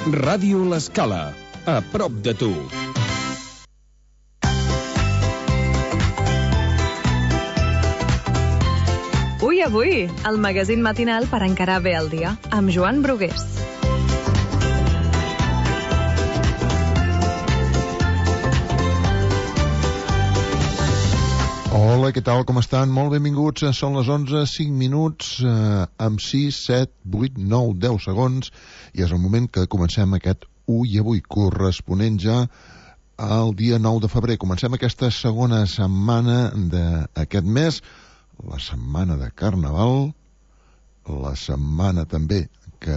Ràdio L'Escala, a prop de tu. Avui, el magazín matinal per encarar bé el dia, amb Joan Brugués. Hola, què tal, com estan? Molt benvinguts, són les 11, 5 minuts, amb 6, 7, 8, 9, 10 segons, i és el moment que comencem aquest Ui Avui, corresponent ja al dia 9 de febrer. Comencem aquesta segona setmana d'aquest mes, la setmana de Carnaval, la setmana també que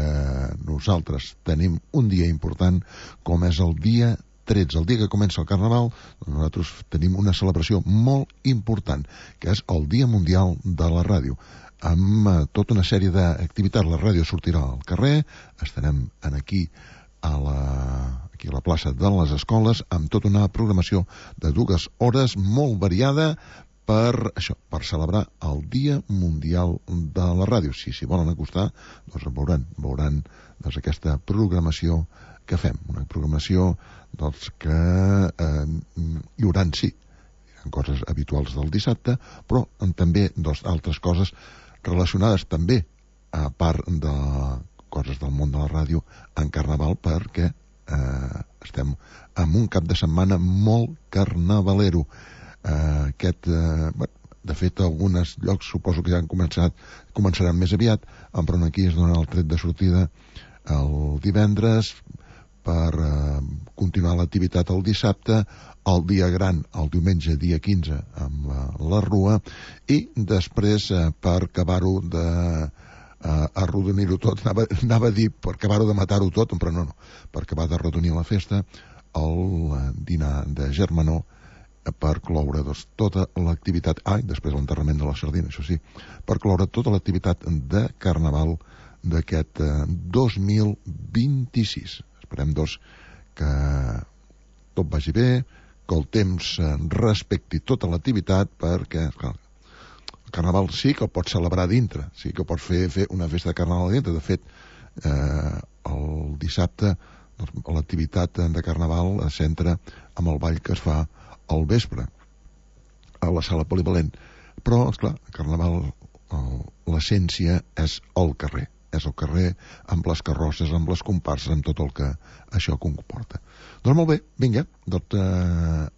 nosaltres tenim un dia important, com és el dia 13, el dia que comença el Carnaval. Nosaltres tenim una celebració molt important, que és el Dia Mundial de la Ràdio, amb tota una sèrie d'activitats. La ràdio sortirà al carrer, estarem aquí a la plaça de les Escoles, amb tota una programació de 2 hores molt variada, per celebrar el Dia Mundial de la Ràdio. Si s'hi volen acostar, doncs veuran aquesta programació que fem, una programació que hi haurà coses habituals del dissabte, però també altres coses relacionades també, a part de coses del món de la ràdio, en Carnaval, perquè estem en un cap de setmana molt carnavalero. De fet, alguns llocs suposo que ja començaran més aviat, però aquí es dona el tret de sortida el divendres per continuar l'activitat el dissabte, el dia gran el diumenge dia 15 amb la rua, i després per acabar-ho arrodonir-ho tot, anava a dir per acabar-ho de matar-ho tot, però no, per acabar d'arrodonir la festa, el dinar de germanor, per cloure tota l'activitat, després l'enterrament de la sardina, això sí, per cloure tota l'activitat de Carnaval d'aquest 2026. Esperem, que tot vagi bé, que el temps respecti tota l'activitat, perquè, clar, el Carnaval sí que el pots celebrar dintre, sí que pots fer una festa de Carnaval dintre. De fet, el dissabte l'activitat de Carnaval es centra amb el ball que es fa al vespre a la sala polivalent, però esclar, el Carnaval, l'essència és el carrer amb les carrosses, amb les comparses, amb tot el que això comporta. Doncs molt bé, vinga,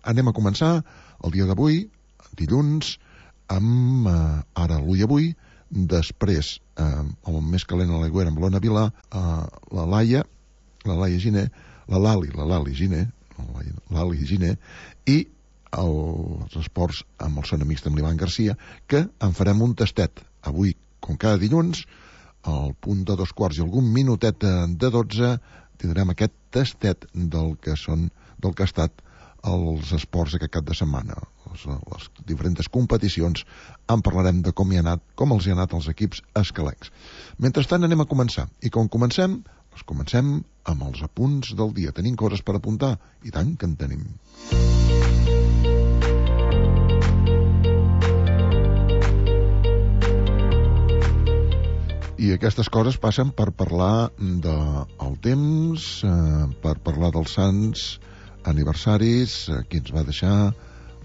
anem a començar el dia d'avui, dilluns, amb ara l'Ui Avui, després el més calent a l'aigüera amb l'Ona Vilà, la Laia Giner, l'Ali Giner, i els esports amb el Son Amics amb l'Ivan Garcia, que en farem un tastet avui, com cada dilluns, al punt de 2:15 i algun minutet de 12 tindrem aquest tastet del que ha estat els esports aquest cap de setmana, les diferents competicions. En parlarem de com els hi ha anat als equips escalencs. Mentrestant anem a començar, i com comencem amb els apunts del dia. Tenim coses per apuntar? I tant que en tenim. I aquestes coses passen per parlar del temps, per parlar dels sants aniversaris, qui ens va deixar,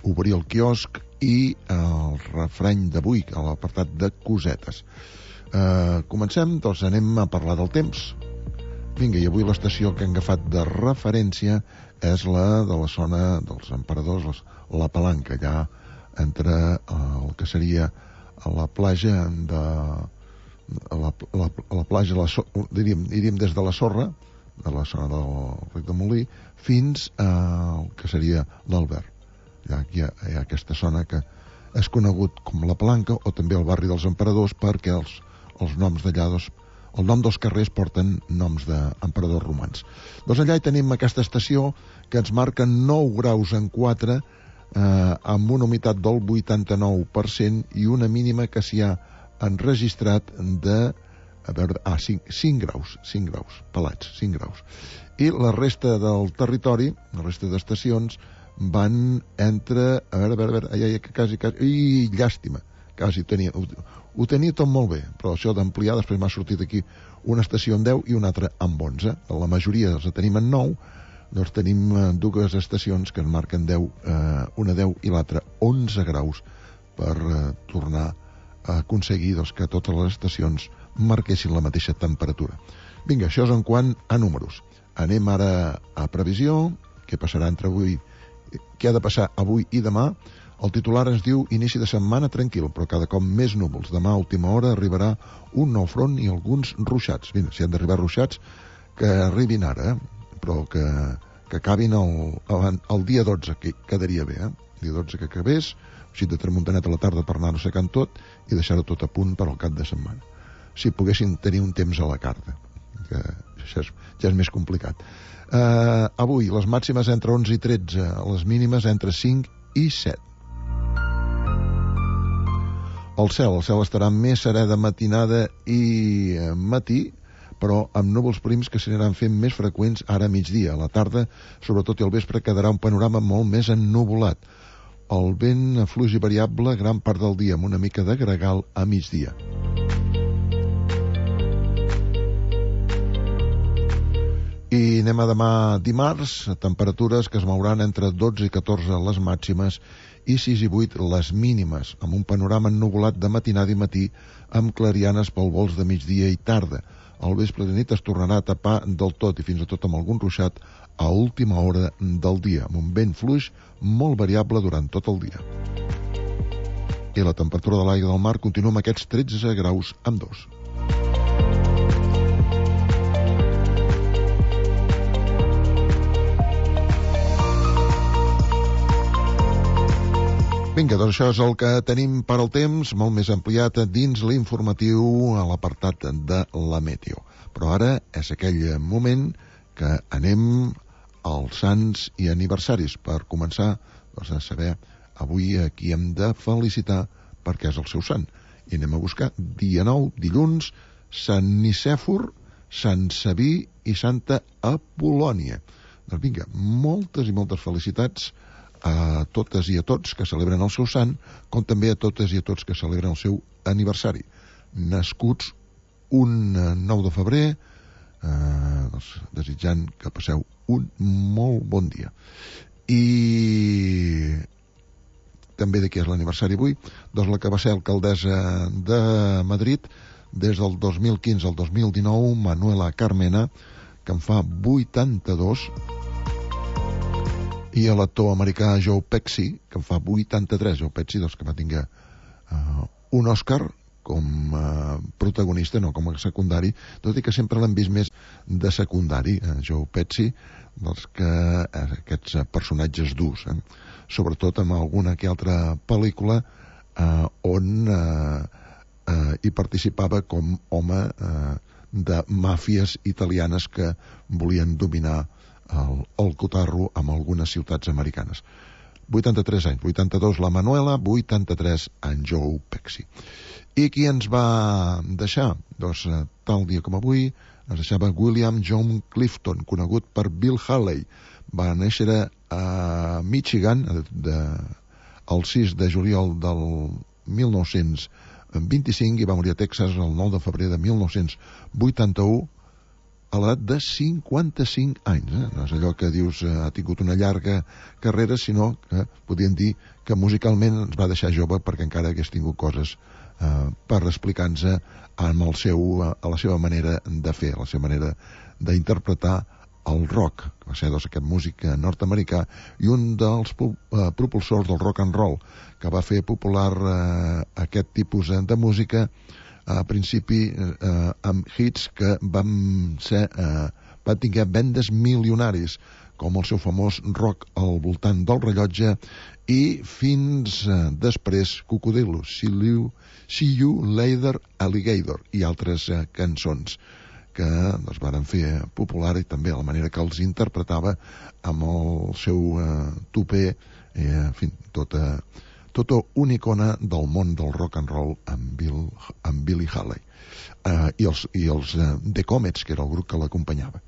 obrir el quiosc i el refrany d'avui, a l'apartat de cosetes. Comencem, doncs anem a parlar del temps. Vinga, i avui l'estació que hem agafat de referència és la de la zona dels Emperadors, la Palanca, allà entre el que seria la platja diríem des de la sorra, de la zona del Rec de Molí, fins al que seria l'Albert. Hi ha aquesta zona que és conegut com la Palanca, o també el barri dels Emperadors, perquè els noms d'allà, el nom dels carrers porten noms d'emperadors romans. Doncs allà hi tenim aquesta estació que ens marca 9 graus en 4, amb una humitat del 89% i una mínima que s'hi ha enregistrat de 5 graus pelats, 5 graus. I la resta del territori, la resta d'estacions, van entre... A veure, que quasi... Llàstima, quasi ho tenia tot molt bé, però això d'ampliar després m'ha sortit aquí una estació amb 10 i una altra amb 11. La majoria els tenim en 9, doncs tenim dues estacions que en marquen 10, una 10 i l'altra 11 graus per tornar a aconseguir que totes les estacions marquessin la mateixa temperatura. Vinga, això és en quant a números. Anem ara a previsió, què passarà entre avui, què ha de passar avui i demà. El titular ens diu inici de setmana tranquil, però cada cop més núvols. Demà a última hora arribarà un nou front i alguns ruixats. Mira, si han d'arribar ruixats, que arribin ara, però que acabin el dia 12, que quedaria bé, El dia 12 que acabés, així de tramuntanet a la tarda per anar-ho secant tot i deixar-ho tot a punt per al cap de setmana. Si poguessin tenir un temps a la carta, que això ja és més complicat. Avui, les màximes entre 11 i 13, les mínimes entre 5 i 7. El cel estarà més serè de matinada i matí, però amb núvols prims que s'aniran fent més freqüents ara a migdia. A la tarda, sobretot i al vespre, quedarà un panorama molt més ennuvolat. El vent fluix i variable gran part del dia, amb una mica de gregal a migdia. I anem a demà dimarts, temperatures que es mouran entre 12 i 14 les màximes i 6 i 8 les mínimes, amb un panorama ennuvolat de matinada i matí amb clarianes pel vols de migdia i tarda. Al vespre de nit es tornarà a tapar del tot i fins i tot amb algun ruixat a última hora del dia, amb un vent fluix molt variable durant tot el dia. I la temperatura de l'aigua del mar continua amb aquests 13 graus amb 2. Vinga, doncs això és el que tenim per al temps, molt més ampliat dins l'informatiu a l'apartat de la Meteo. Però ara és aquell moment que anem als sants i aniversaris per començar a saber avui a qui hem de felicitar perquè és el seu sant. I anem a buscar dia 9, dilluns, Sant Nicèfor, Sant Sabí i Santa Apol·lònia. Doncs vinga, moltes i moltes felicitats a totes i a tots que celebren el seu sant, com també a totes i a tots que celebren el seu aniversari. Nascuts un 9 de febrer, desitjant que passeu un molt bon dia. I també de qui és l'aniversari avui? Doncs la que va ser alcaldessa de Madrid des del 2015 al 2019, Manuela Carmena, que en fa 82, i a l'actor americà Joe Pesci, que en fa 83, Joe Pesci, doncs, que va tinguer un Òscar com a protagonista, no com a secundari, tot i que sempre l'hem vist més de secundari, Joe Pesci, doncs que aquests personatges durs, sobretot amb alguna que altra pel·lícula on hi participava com home de màfies italianes que volien dominar el cotarro amb algunes ciutats americanes. 83 anys, 82 la Manuela, 83 en Joe Pesci. I qui ens va deixar? Doncs tal dia com avui ens deixava William John Clifton, conegut per Bill Haley. Va néixer a Michigan el 6 de juliol del 1925 i va morir a Texas el 9 de febrer de 1981 a l'edat de 55 anys. No és allò que dius ha tingut una llarga carrera, sinó que podríem dir que musicalment ens va deixar jove perquè encara hagués tingut coses per explicar-nos a la seva manera de fer, a la seva manera d'interpretar el rock, que va ser aquest músic nord-americà i un dels propulsors del rock and roll, que va fer popular aquest tipus de música a principi amb hits que van tinguer vendes milionaris, com el seu famós rock al voltant del rellotge i fins després Cocodrilo, See You Later Alligator i altres cançons que es varen fer popular, i també la manera que els interpretava amb el seu tupé, en fi, tota una icona del món del rock and roll amb Billy Haley i els The Comets, que era el grup que l'acompanyava.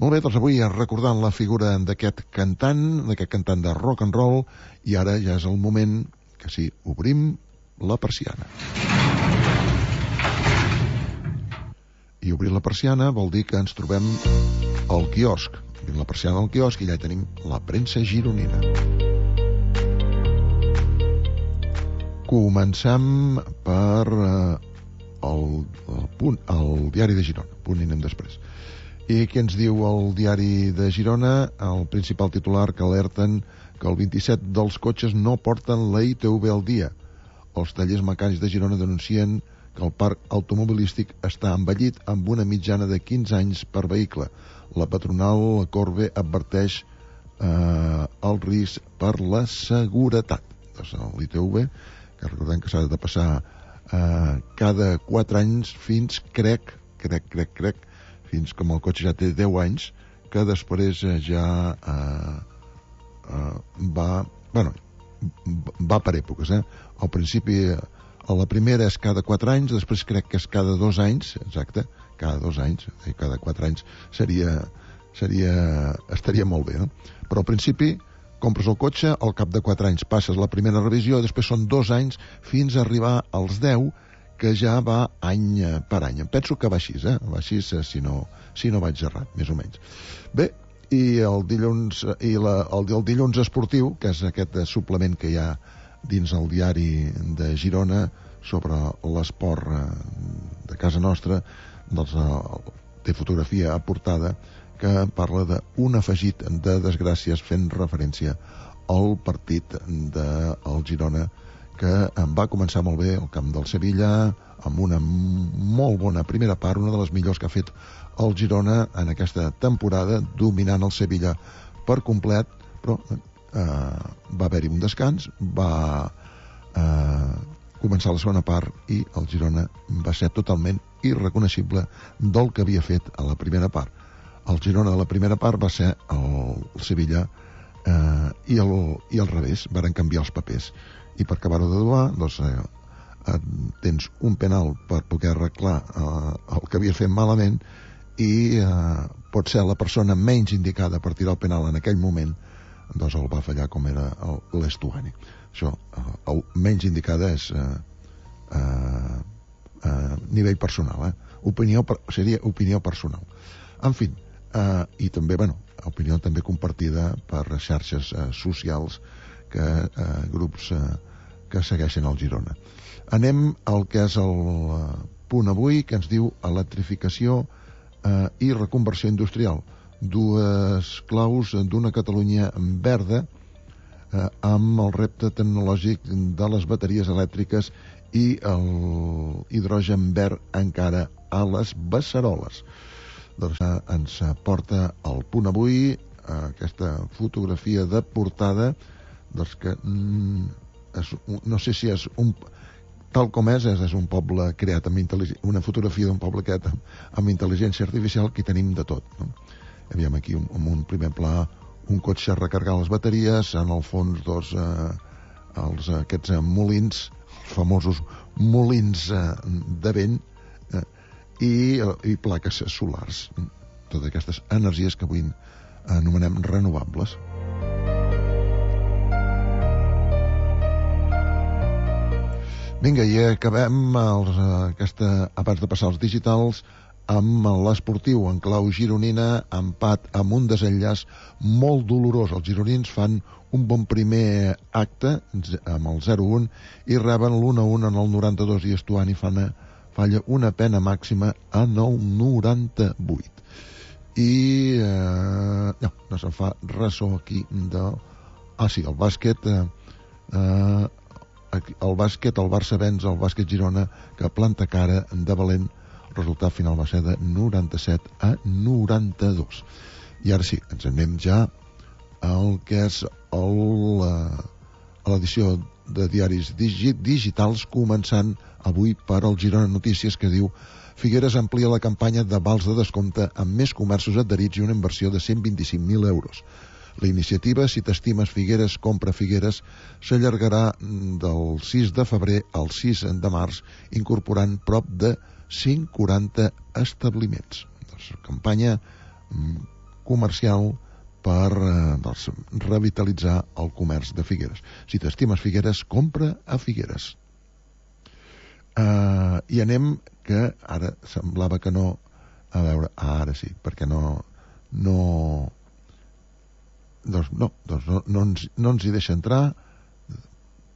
Molt bé, doncs avui recordant la figura d'aquest cantant de rock and roll, i ara ja és el moment que sí, obrim la persiana. I obrir la persiana vol dir que ens trobem al quiosc. Obrim la persiana al quiosc i allà tenim la premsa gironina. Comencem per el diari de Girona. Punt i anem després. I què ens diu el diari de Girona? El principal titular que alerten que el 27 dels cotxes no porten la ITV al dia. Els tallers mecànics de Girona denuncien que el parc automobilístic està envellit amb una mitjana de 15 anys per vehicle. La patronal Corbe adverteix el risc per la seguretat. Doncs l'ITV, que recordem que s'ha de passar cada 4 anys fins, crec, fins com el cotxe ja té 10 anys, que després ja va per èpoques. Al principi, la primera és cada 4 anys, després crec que és cada 2 anys, exacte, cada 2 anys, i cada 4 anys estaria molt bé, no? Però al principi compres el cotxe, al cap de 4 anys passes la primera revisió, després són 2 anys fins a arribar als 10, que ja va any per any. Em penso que va així, va així si no vaig errat, més o menys. Bé, i el dilluns esportiu, que és aquest suplement que hi ha dins el diari de Girona sobre l'esport de casa nostra, doncs té fotografia aportada que parla d'un afegit de desgràcies fent referència al partit del Girona, que va començar molt bé al camp del Sevilla, amb una molt bona primera part, una de les millors que ha fet el Girona en aquesta temporada, dominant el Sevilla per complet, però va haver-hi un descans, va començar la segona part i el Girona va ser totalment irreconeixible del que havia fet a la primera part. El Girona de la primera part va ser el Sevilla i al revés, varen canviar els papers. I per acabar-ho de doar, doncs, tens un penal per poder arreglar el que havia fet malament i pot ser la persona menys indicada per tirar el penal en aquell moment, doncs el va fallar com era l'Estuani. Això, el menys indicada és nivell personal, seria opinió personal. En fi, i també, opinió també compartida per xarxes socials, grups que segueixen el Girona. Anem al que és el punt avui, que ens diu electrificació i reconversió industrial. Dues claus d'una Catalunya verda amb el repte tecnològic de les bateries elèctriques i l'hidrogen verd encara a les beceroles. Doncs ens porta al punt avui aquesta fotografia de portada, doncs que no sé si és tal com és un poble creat amb una fotografia d'un poble creat amb intel·ligència artificial, que tenim de tot, no? Aviam aquí en un primer pla un cotxe recargant les bateries, en el fons aquests molins, els famosos molins de vent, i plaques solars, totes aquestes energies que avui anomenem renovables. Vinga, i acabem abans de passar als digitals, amb l'esportiu en clau gironina, empat amb un desenllaç molt dolorós. Els gironins fan un bon primer acte amb el 0-1 i reben l'1-1 en el 92, i Estuani falla una pena màxima en el 98. I no se'n fa ressò aquí sí, el bàsquet, el Barça venç el Bàsquet Girona, que planta cara de valent. El resultat final va ser de 97-92. I ara sí, ens anem ja al que és l'edició de diaris digitals, començant avui per el Girona Notícies, que diu: Figueres amplia la campanya de vals de descompte amb més comerços adherits i una inversió de 125.000 euros. La iniciativa, si t'estimes Figueres, compra Figueres, s'allargarà del 6 de febrer al 6 de març, incorporant prop de 140 establiments. Campanya comercial per revitalitzar el comerç de Figueres. Si t'estimes Figueres, compra a Figueres. I anem, que ara semblava que no, a veure, ara sí, perquè no ens hi deixa entrar,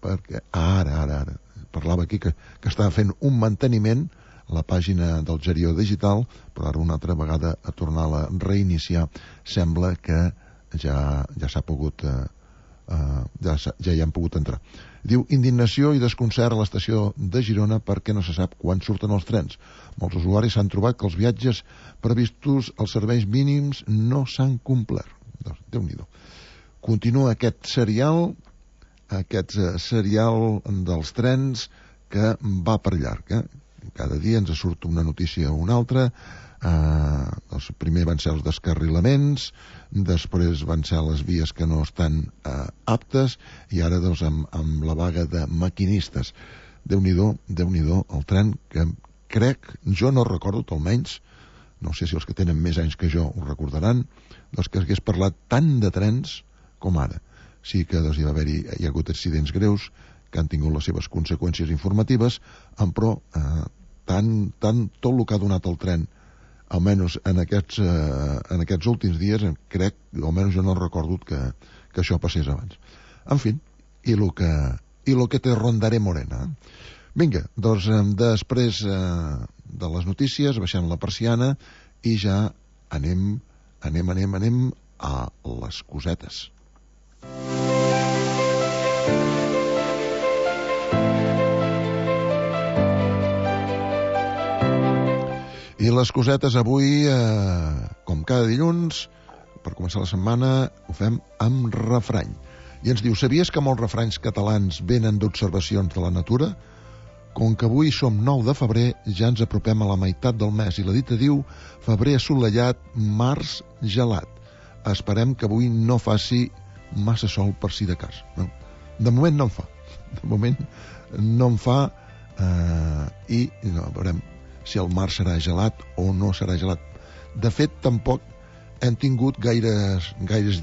perquè ara parlava aquí que estava fent un manteniment la pàgina del Gerió Digital, però ara una altra vegada a tornar-la a reiniciar sembla que ja s'ha pogut ja hi han pogut entrar. Diu: indignació i desconcert a l'estació de Girona perquè no se sap quan surten els trens. Molts usuaris s'han trobat que els viatges previstos als serveis mínims no s'han complert. Doncs, Déu-n'hi-do. Continua aquest serial dels trens que va per llarg. Cada dia ens surt una notícia o una altra. Doncs primer van ser els descarrilaments, després van ser les vies que no estan aptes, i ara doncs amb la vaga de maquinistes. Déu-n'hi-do el tren, que crec, jo no recordo, almenys, no sé si els que tenen més anys que jo ho recordaran, doncs que hagués parlat tant de trens com ara. Sí que doncs, hi ha hagut accidents greus que han tingut les seves conseqüències informatives, però tant tot el que ha donat el tren, almenys en aquests últims dies, crec, almenys jo no recordo que això passés abans. En fi, i lo que te rondaré morena. Vinga, doncs després de les notícies, baixant la persiana, i ja anem a les cosetes. I les cosetes avui, com cada dilluns, per començar la setmana, ho fem amb refrany. I ens diu: sabies que molts refranys catalans venen d'observacions de la natura? Com que avui som 9 de febrer, ja ens apropem a la meitat del mes, i la dita diu: febrer assolellat, març gelat. Esperem que avui no faci massa sol per si de cas. No? De moment no en fa. I no, veurem si el mar serà gelat o no serà gelat. De fet, tampoc hem tingut gaires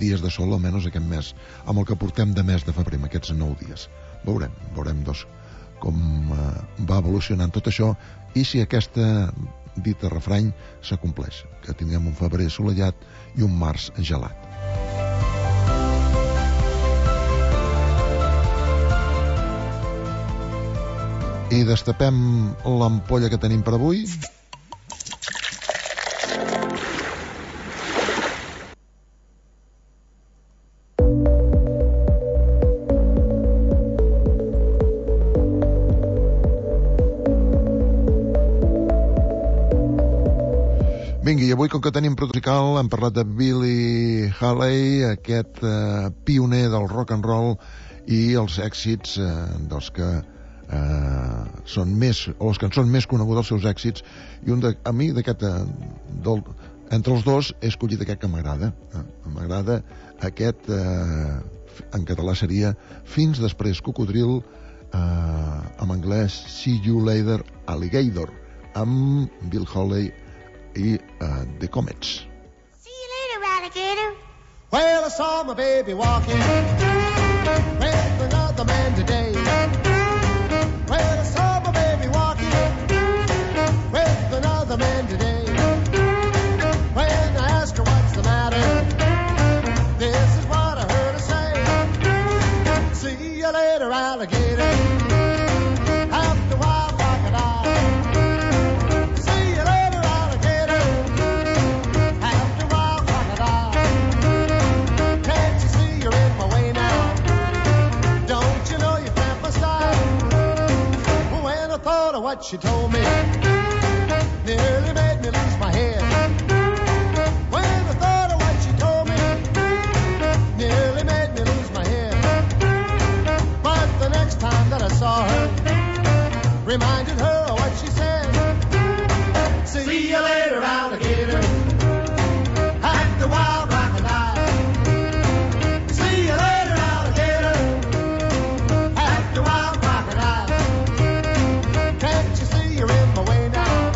dies de sol, almenys aquest mes, amb el que portem de mes de febrer, amb aquests 9 dies. Veurem doncs, com va evolucionant tot això, i si aquesta dita refrany s'acompleix, que tinguem un febrer assolellat i un març gelat. I destapem l'ampolla que tenim per avui. Vinga, i avui, com que tenim protocol, hem parlat de Billy Haley, aquest pioner del rock and roll, i els èxits dels que són més, o les cançons més conegudes, els seus èxits, i a mi entre els dos he escollit aquest que m'agrada. M'agrada aquest, en català seria Fins després cocodril, en anglès See You Later Alligator, amb Bill Haley i The Comets. See you later, alligator. Well, I saw my baby walking with another man today. Well, I saw my baby walking with another man today. When I asked her what's the matter, this is what I heard her say. See you later, alligator. After a while, crocodile. See you later, alligator. After a while, crocodile. Can't you see you're in my way now? Don't you know you cramp my style? When I thought of what she told me, nearly made me lose my head. When I thought of what she told me, nearly made me lose my head. But the next time that I saw her, reminded her of what she said. See you later, alligator. Act the wild crocodile. See you later, alligator. Act the wild crocodile. Can't you see you're in my way now?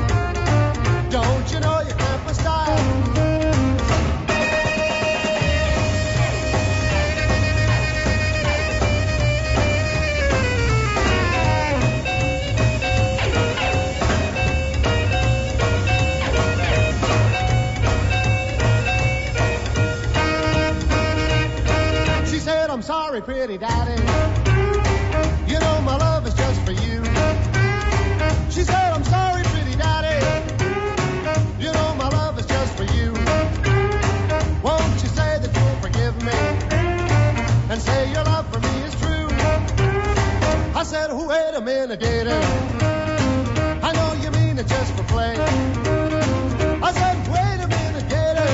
sorry, pretty daddy. You know my love is just for you. She said, I'm sorry, pretty daddy. You know my love is just for you. Won't you say that you'll forgive me and say your love for me is true? I said, oh, wait a minute, Gator. I know you mean it just for play. I said, wait a minute, Gator.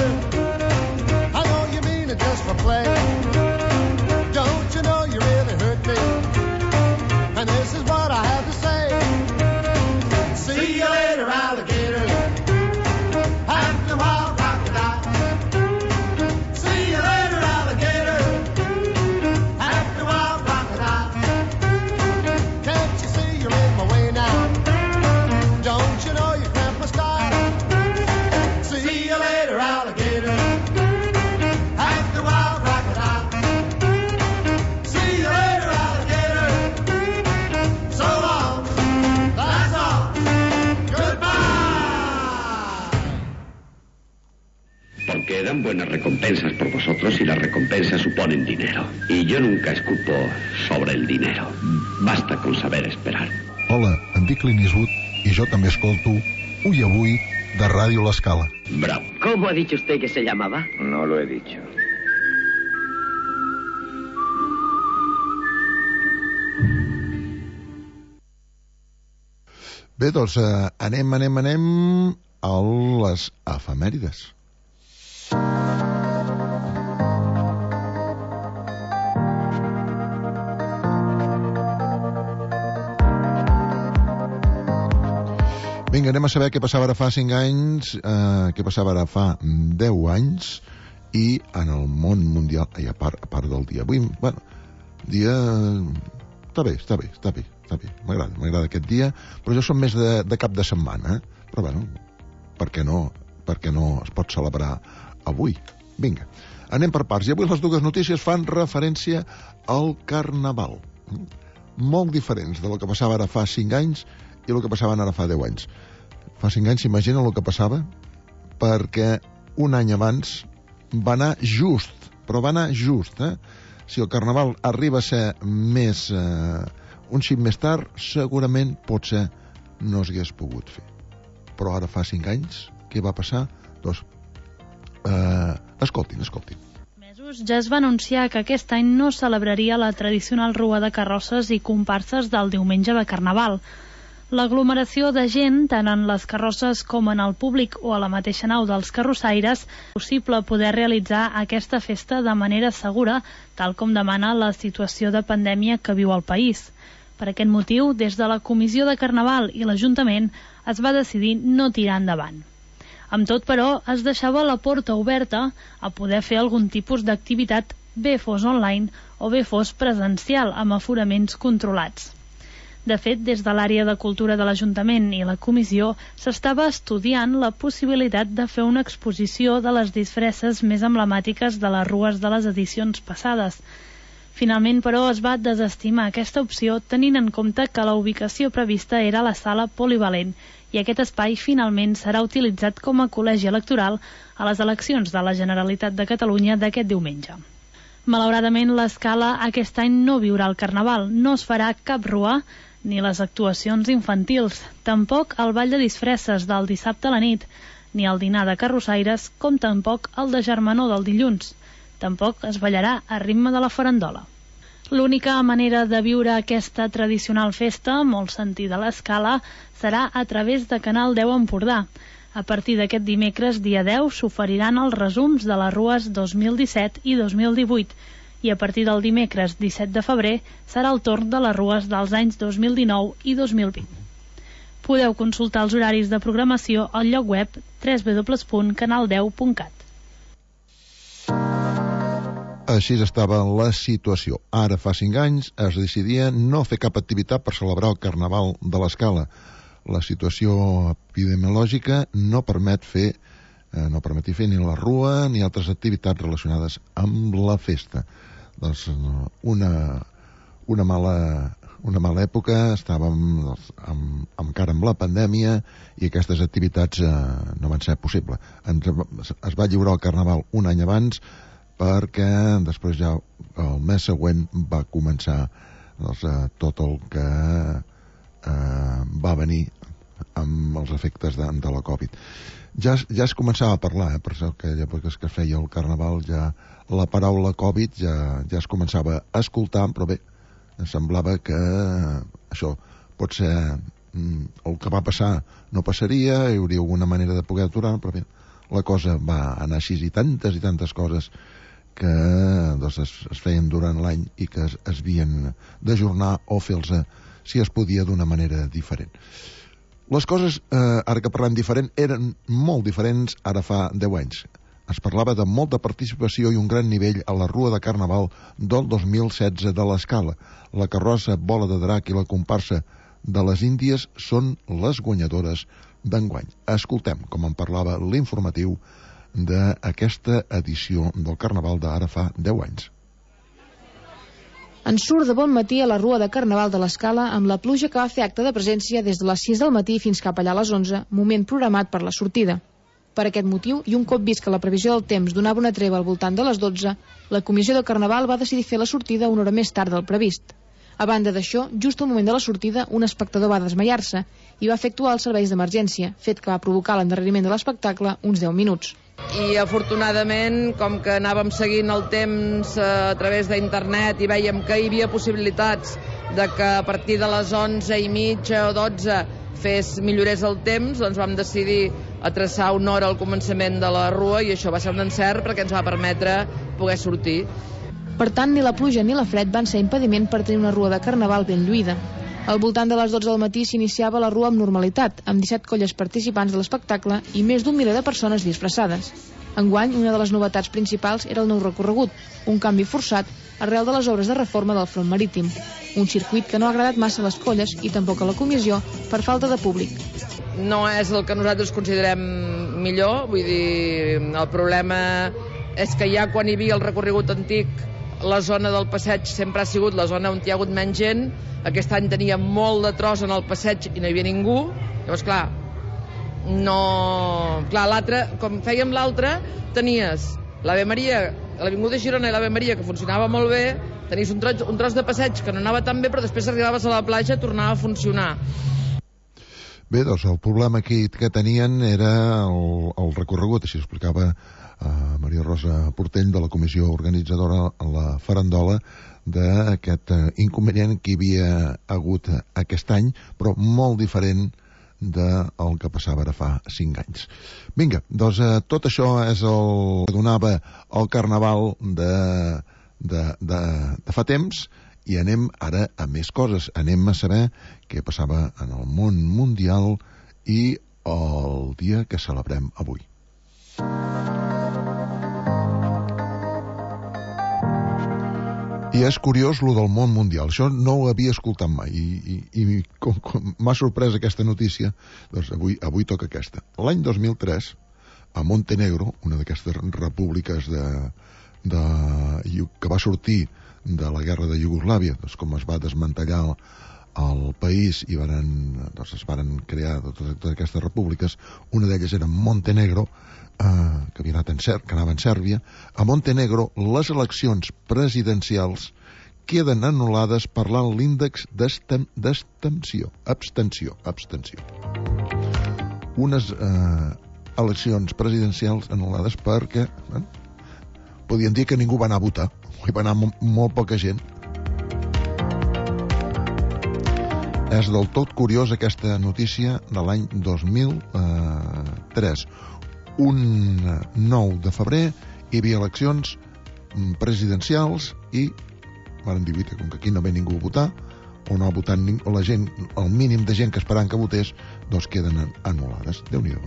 I know you mean it just for play. Don't you know you really hurt me? And this is what I have to say. See you later, alligator. After a while, crocodile. See you later, alligator. After a while, crocodile. Can't you see you're in my way now? Don't you know you cramp my style? See you later, alligator. After a while, crocodile. See you later, alligator. So long. That's all. Porque dan buenas recompensas por vosotros y las recompensas suponen dinero. Y yo nunca escupo sobre el dinero. Basta con saber esperar. Hola, em dic Clint Eastwood i jo també escolto Ui Avui de Ràdio L'Escala. Bravo. ¿Cómo ha dicho usted que se llamaba? No lo he dicho. Bé, doncs anem a les efemèrides. Vinga, anem a saber què passava ara fa 5 anys, què passava ara fa 10 anys, i en el món mundial, i a part del dia. Avui, bueno, dia... Està bé. M'agrada aquest dia, però jo som més de cap de setmana, però bueno, per què no es pot celebrar avui? Vinga, anem per parts, i avui les dues notícies fan referència al Carnaval. Molt diferents de lo que passava ara fa 5 anys i el que passava ara fa 10 anys. Fa 5 anys s'imagina el que passava, perquè un any abans va anar just, Si el Carnaval arriba a ser més... un xic més tard, segurament potser no s'hagués pogut fer. Però ara fa 5 anys, què va passar? Doncs, escoltin. Mesos ja es va anunciar que aquest any no celebraria la tradicional rua de carrosses i comparses del diumenge de Carnaval. L'aglomeració de gent, tant en les carrosses com en el públic o a la mateixa nau dels carrossaires, és possible poder realitzar aquesta festa de manera segura, tal com demana la situació de pandèmia que viu el país. Per aquest motiu, des de la Comissió de Carnaval i l'Ajuntament es va decidir no tirar endavant. Amb tot, però, es deixava la porta oberta a poder fer algun tipus d'activitat, bé fos online o bé fos presencial, amb aforaments controlats. De fet, des de l'àrea de cultura de l'Ajuntament i la Comissió s'estava estudiant la possibilitat de fer una exposició de les disfresses més emblemàtiques de les rues de les edicions passades. Finalment, però, es va desestimar aquesta opció tenint en compte que la ubicació prevista era la sala polivalent i aquest espai finalment serà utilitzat com a col·legi electoral a les eleccions de la Generalitat de Catalunya d'aquest diumenge. Malauradament, l'Escala aquest any no viurà el Carnaval, no es farà cap rua ni les actuacions infantils, tampoc el ball de disfresses del dissabte a la nit, ni el dinar de carrossaires, com tampoc el de germanor del dilluns. Tampoc es ballarà a ritme de la farandola. L'única manera de viure aquesta tradicional festa, molt sentida a l'Escala, serà a través de Canal 10 Empordà. A partir d'aquest dimecres, dia 10, s'oferiran els resums de les rues 2017 i 2018, i a partir del dimecres 17 de febrer serà el torn de les rues dels anys 2019 i 2020. Podeu consultar els horaris de programació al lloc web www.canal10.cat. Així estava la situació. Ara, fa 5 anys, es decidia no fer cap activitat per celebrar el Carnaval de l'Escala. La situació epidemiològica no permeti fer ni la rua ni altres activitats relacionades amb la festa. Doncs una mala època, estàvem encara amb la pandèmia i aquestes activitats no van ser possibles. Es va lliurar el Carnaval un any abans, perquè després ja el mes següent va començar tot el que va venir amb els efectes de la Covid. Ja es començava a parlar, per això que es feia el Carnaval, ja la paraula Covid ja es començava a escoltar, però bé, semblava que això pot ser el que va passar no passaria, hi hauria alguna manera de poder aturar, però bé, la cosa va anar així i tantes coses que doncs, es feien durant l'any i que es havien d'ajornar o fer-los, si es podia, d'una manera diferent. Les coses, ara que parlem diferent, eren molt diferents ara fa 10 anys. Es parlava de molta participació i un gran nivell a la Rua de Carnaval del 2016 de l'Escala. La carrossa, Bola de Drac i la comparsa de les Índies són les guanyadores d'enguany. Escoltem com en parlava l'informatiu d'aquesta edició del Carnaval d'ara fa 10 anys. En surt de bon matí a la Rua de Carnaval de l'Escala amb la pluja que va fer acte de presència des de les 6 del matí fins cap allà a les 11, moment programat per la sortida. Per aquest motiu, i un cop vist que la previsió del temps donava una treva al voltant de les 12, la comissió de Carnaval va decidir fer la sortida una hora més tard del previst. A banda d'això, just al moment de la sortida, un espectador va desmaiar-se i va fer actuar els serveis d'emergència, fet que va provocar l'endarreriment de l'espectacle uns 10 minuts. I afortunadament, com que anàvem seguint el temps a través d'internet i vèiem que hi havia possibilitats de que a partir de les 11:30 o 12 millorés el temps, doncs vam decidir a traçar una hora al començament de la rua i això va ser un encert perquè ens va permetre poder sortir. Per tant, ni la pluja ni la fred van ser impediment per tenir una rua de Carnaval ben lluïda. Al voltant de les 12 del matí s'iniciava la rua amb normalitat, amb 17 colles participants de l'espectacle i més d'un miler de persones disfressades. Enguany, una de les novetats principals era el nou recorregut, un canvi forçat arrel de les obres de reforma del front marítim. Un circuit que no ha agradat massa a les colles i tampoc a la comissió per falta de públic. No és el que nosaltres considerem millor, vull dir, el problema és que ja quan hi havia el recorregut antic, la zona del passeig sempre ha sigut la zona on hi ha hagut menys gent. Aquest any tenia molt de tros en el passeig i no hi havia ningú. Llavors, clar, l'altre, com fèiem l'altre, tenies l'Ave Maria, l'Avinguda Girona i l'Ave Maria, que funcionava molt bé, tenies un tros de passeig que no anava tan bé, però després arribaves a la platja i tornava a funcionar. Bé, doncs el problema aquí que tenien era el recorregut, així explicava Maria Rosa Portell, de la comissió organitzadora a la farandola, d'aquest inconvenient que hi havia hagut aquest any, però molt diferent del que passava ara fa 5 anys. Vinga, doncs tot això és el que donava el Carnaval de fa temps, i anem ara a més coses. Anem a saber què passava en el món mundial i el dia que celebrem avui. I és curiós lo del món mundial, això no ho havia escoltat mai i com m'ha sorprès aquesta notícia, doncs avui toca aquesta. L'any 2003, a Montenegro, una d'aquestes repúbliques que va sortir de la guerra de Iugoslàvia, doncs com es va desmantellar el país i es van crear totes aquestes repúbliques, una d'elles era Montenegro, que anava en Sèrbia. A Montenegro les eleccions presidencials queden anul·lades per l'alt índex d'abstenció. Unes eleccions presidencials anul·lades perquè podien dir que ningú va anar a votar, hi va anar molt poca gent. És del tot curiós aquesta notícia de l'any 2003. Un 9 de febrer hi havia eleccions presidencials i van dir que com que aquí no ve ningú a votar o no ha votat o la gent, el mínim de gent que esperaven que votés, doncs queden anul·lades. Déu-n'hi-do,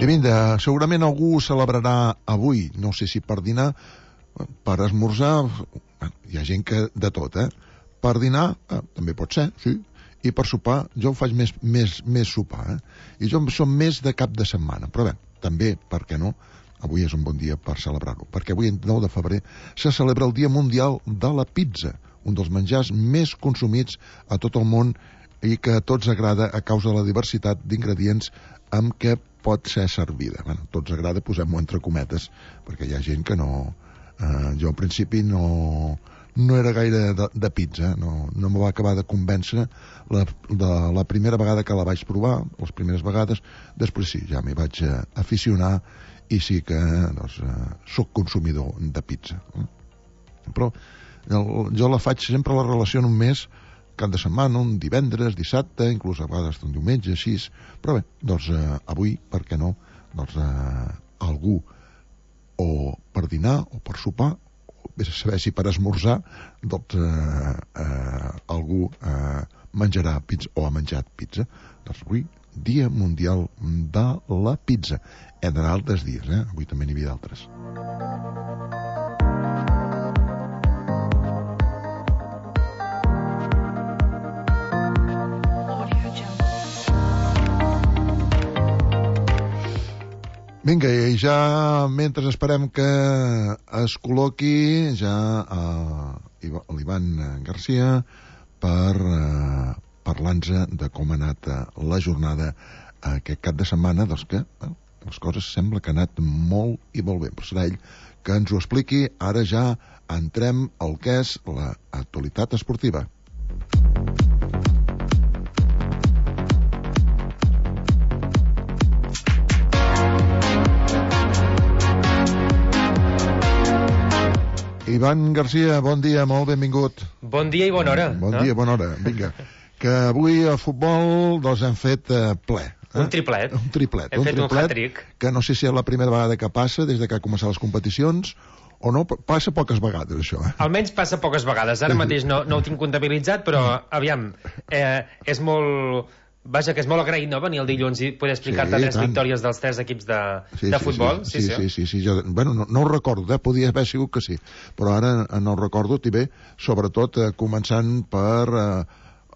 I vinga, segurament algú celebrarà avui, no sé si per dinar, per esmorzar, hi ha gent que de tot, per dinar també pot ser, sí, i per sopar, jo ho faig més sopar, i jo som més de cap de setmana, però bé, també, per què no, avui és un bon dia per celebrar-ho, perquè avui, 9 de febrer, se celebra el Dia Mundial de la Pizza, un dels menjars més consumits a tot el món i que a tots agrada a causa de la diversitat d'ingredients amb què pot ser servida. Bueno, tots agrada, posem-ho entre cometes, perquè hi ha gent que no... jo al principi no era gaire de pizza, no me va acabar de convèncer la primera vegada que la vaig provar, les primeres vegades, després sí, ja m'hi vaig aficionar i sí que soc consumidor de pizza. Però jo la faig sempre, la relació només cap de setmana, un divendres, dissabte, inclús a vegades un diumenge, així. Però bé, doncs avui, per què no, doncs algú o per dinar o per sopar, o vés a saber si per esmorzar, doncs algú menjarà pizza o ha menjat pizza. Doncs avui, Dia Mundial de la Pizza. Entre altres dies, avui també n'hi havia d'altres. Vinga, i ja mentre esperem que es col·loqui ja l'Ivan Garcia per parlar-nos de com ha anat la jornada aquest cap de setmana, doncs que les coses sembla que ha anat molt i molt bé. Però serà ell que ens ho expliqui. Ara ja entrem al que és l'actualitat esportiva. Ivan Garcia, bon dia, molt benvingut. Bon dia i bona hora. Bon dia, bona hora. Vinga, que avui a futbol doncs hem fet ple. Un triplet. Un triplet. Hem fet un hat-trick. Que no sé si és la primera vegada que passa des de que ha començat les competicions o no, passa poques vegades això. Almenys passa poques vegades. Ara mateix no ho tinc comptabilitzat, però aviam, és molt... Vaja, que és molt agraït, no?, venir el dilluns i poder explicar-te tres victòries dels tres equips de futbol. Sí. Jo, bueno, no ho recordo, podia haver sigut que sí, però ara no ho recordo, i bé, sobretot començant per...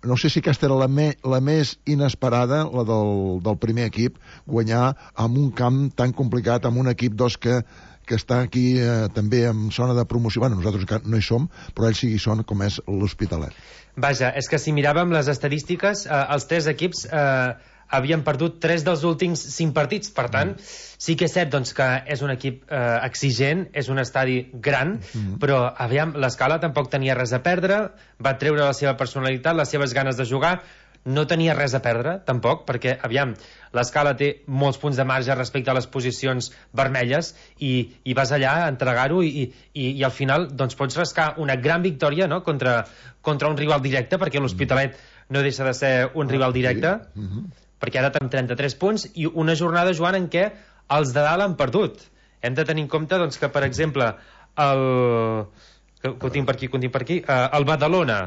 no sé si aquesta era la més inesperada, la del primer equip, guanyar en un camp tan complicat, amb un equip que està aquí també en zona de promoció. Bueno, nosaltres no hi som, però ells sí hi són, com és l'Hospitalet. Vaja, és que si miràvem les estadístiques, els tres equips havien perdut 3 dels últims 5 partits. Per tant, sí que és cert doncs, que és un equip exigent, és un estadi gran, però aviam, l'Escala tampoc tenia res a perdre, va treure la seva personalitat, les seves ganes de jugar, no tenia res a perdre, tampoc, perquè, aviam, l'Escala té molts punts de marge respecte a les posicions vermelles i vas allà a entregar-ho i al final doncs, pots rascar una gran victòria, no?, contra un rival directe, perquè l'Hospitalet no deixa de ser un rival directe, perquè ara tenim 33 punts i una jornada, Joan, en què els de dalt han perdut. Hem de tenir en compte doncs, que, per exemple, que ho tinc per aquí, el Badalona,